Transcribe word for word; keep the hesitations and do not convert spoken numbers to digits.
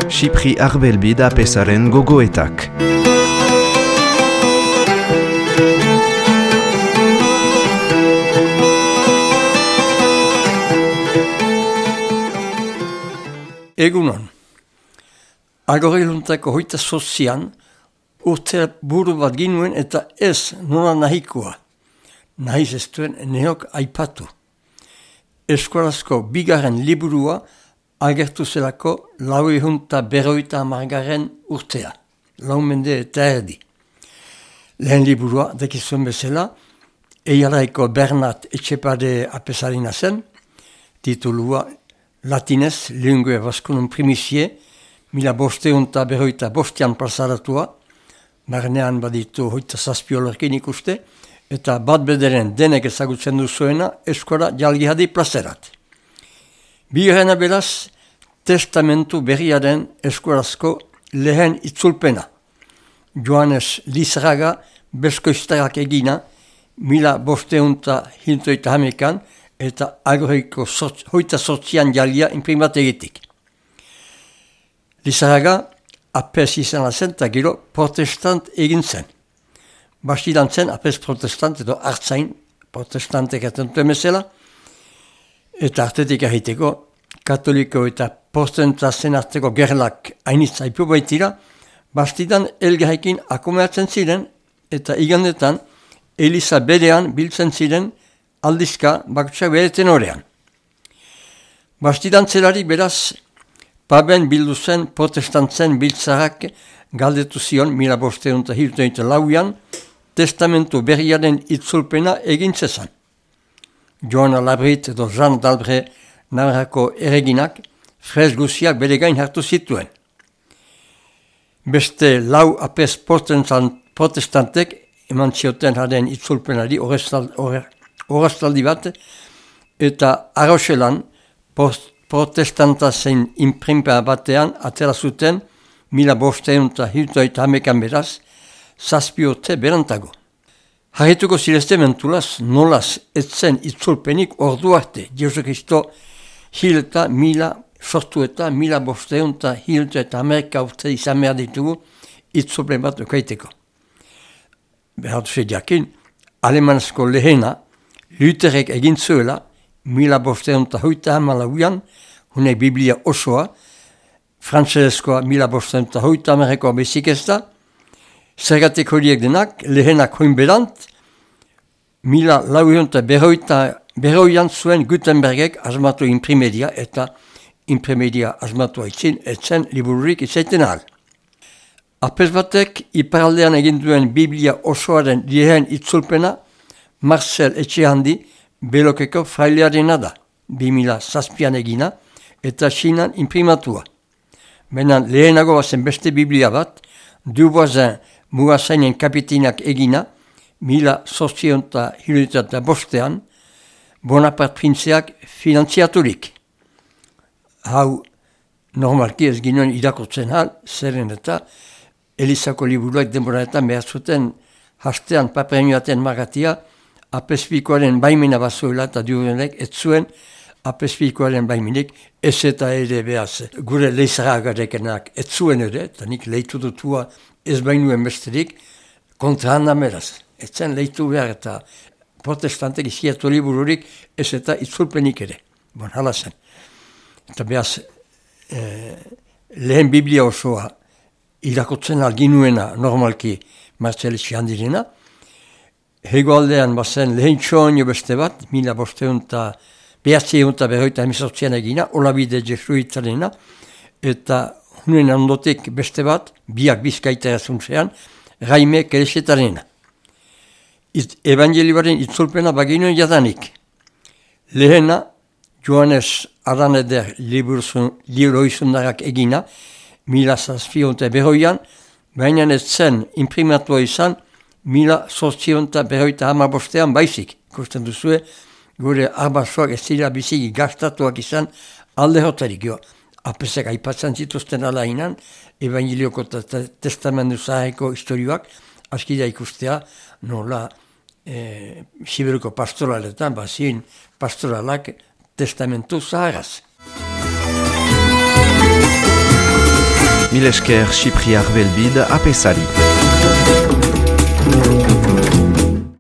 Xipri Arbelbi da Pesaren gogoetak. Egunon, agoreiluntako hoita sozian urte buru bat ginuen eta ez nola nahikoa. Nahiz ez duen neok aipatu. Eskolazko bigarren liburua agertu zelako lau ehunta berroita amargarren urtea, lau mende eta erdi. Lehen liburua, dekizuen bezala, eiaraiko Bernat Etxepade Apesarina zen, titulua latinez, Lingue Vascunum Primicie, mila bosteunta berroita bostean plazaratua, barnean baditu hoita zazpiolerkin ikuste, eta bat bederen denek ezagutzen duzuena eskola jalgihadi plazerat. Bigarrena beraz, testamentu berriaren eskolazko lehen itzulpena. Joanes Lizraga beskoiztarak egina, mila bosteunta hintoita hamekan, eta agoreiko hoita sortzian jalia imprimategitik. Lizaraga apes izan zen eta gero protestant egin zen. Bastidan zen apes protestant edo hartzain protestantek atentuen bezala, eta artetik ahiteko katoliko eta protestatzen arteko gerlak hainitz aipu baitira, bastidan elgarrekin akomeatzen ziren eta igandetan Eliza berean biltzen ziren aldizka bakutsak bereten horrean. Bastidan zelari beraz, paben bildu zen protestantzen biltzarak galdetu zion mila bosteun eta hiltoita lauian, testamentu berriaren itzulpena egin zezan. Joana Labrit edo Jean d'Albre Navarrako erreginak frez guziak bere gain hartu zituen. Beste lau apes protestantek eman zioten haren itzulpenari horreztaldi bat, eta Arroxelan protestanta zein imprimpa batean atera zuten mila bosteun eta hiltoita hamekan beraz, zazpiote berantago. Harrituko zirezte mentulaz, nolaz etzen itzulpenik ordu arte, Jesu Kristo hil eta mila sortu eta mila bosteun eta hilto eta hamerka urte izan behar ditugu itzulpen bat okaiteko. Behar duzu jakin, alemanezko lehena, Lutherek egin zuela, mila bosteun eta hoita hamalauian, hune Biblia osoa, frantzezkoa mila bosteun eta hoita hamerrekoa bezik ez da, zergatik horiek denak, lehenak hoin berant, mila lauion eta berroian zuen Gutenbergek asmatu imprimedia eta imprimedia asmatu haitzin, etzen libururik izaiten ahal. Apes batek iparaldean egin duen Biblia osoaren lehen itzulpena Marcel Etxehandi Belokeko frailearena da, bi mila zazpian egina eta Chinan imprimatua. Benan lehenago bazen beste Biblia bat, Duboisen Mugazainen kapitinak egina, mila zortzion eta hirurogeita eta bostean, Bonaparte printzeak finantziaturik. Hau normalki ez ginen irakurtzen hal, zeren eta Elizako liburuak denboraetan behar zuten hastean paperenioaten magatia, apespikoaren baimena bazuela eta diurenek ez zuen apespikoaren baimenik ez eta ere behaz. Gure leizaragarekenak ez zuen ere, eta nik leitu dutua ez bainuen besterik, kontra handa meraz. Ez zen leitu behar eta protestantek izkiatu libururik ez eta itzulpenik ere. Bon, hala zen. Eta behaz, eh, lehen Biblia osoa irakotzen alginuena normalki Marcel Etxehandirena. Hegoaldean bazen lehen txoinio beste bat, mila bosteun eta behatzeun eta berroita emezortzian egina, olabide jesuitarena, eta hunen ondotik beste bat, biak bizkaitara zuntzean, Raime Keresetarena. Evangelioaren itzulpena baginuen jadanik. Lehena, Joanes Araneder liburoizundarak egina, mila zazpion eta berroian, baina ez zen imprimatua izan, mila zortzion eta berroita hamabostean baizik. Ikusten duzue, gure arbasoak ez dira biziki gastatuak izan alde hotarik. Jo, apesek aipatzen zituzten alainan, Evangelioko eta Testamentu Zaharreko historioak, askida ikustea, nola e, Siberuko pastoraletan, bazin pastoralak Testamentu Zaharraz. Mil esker Sipriar Belbid apesari.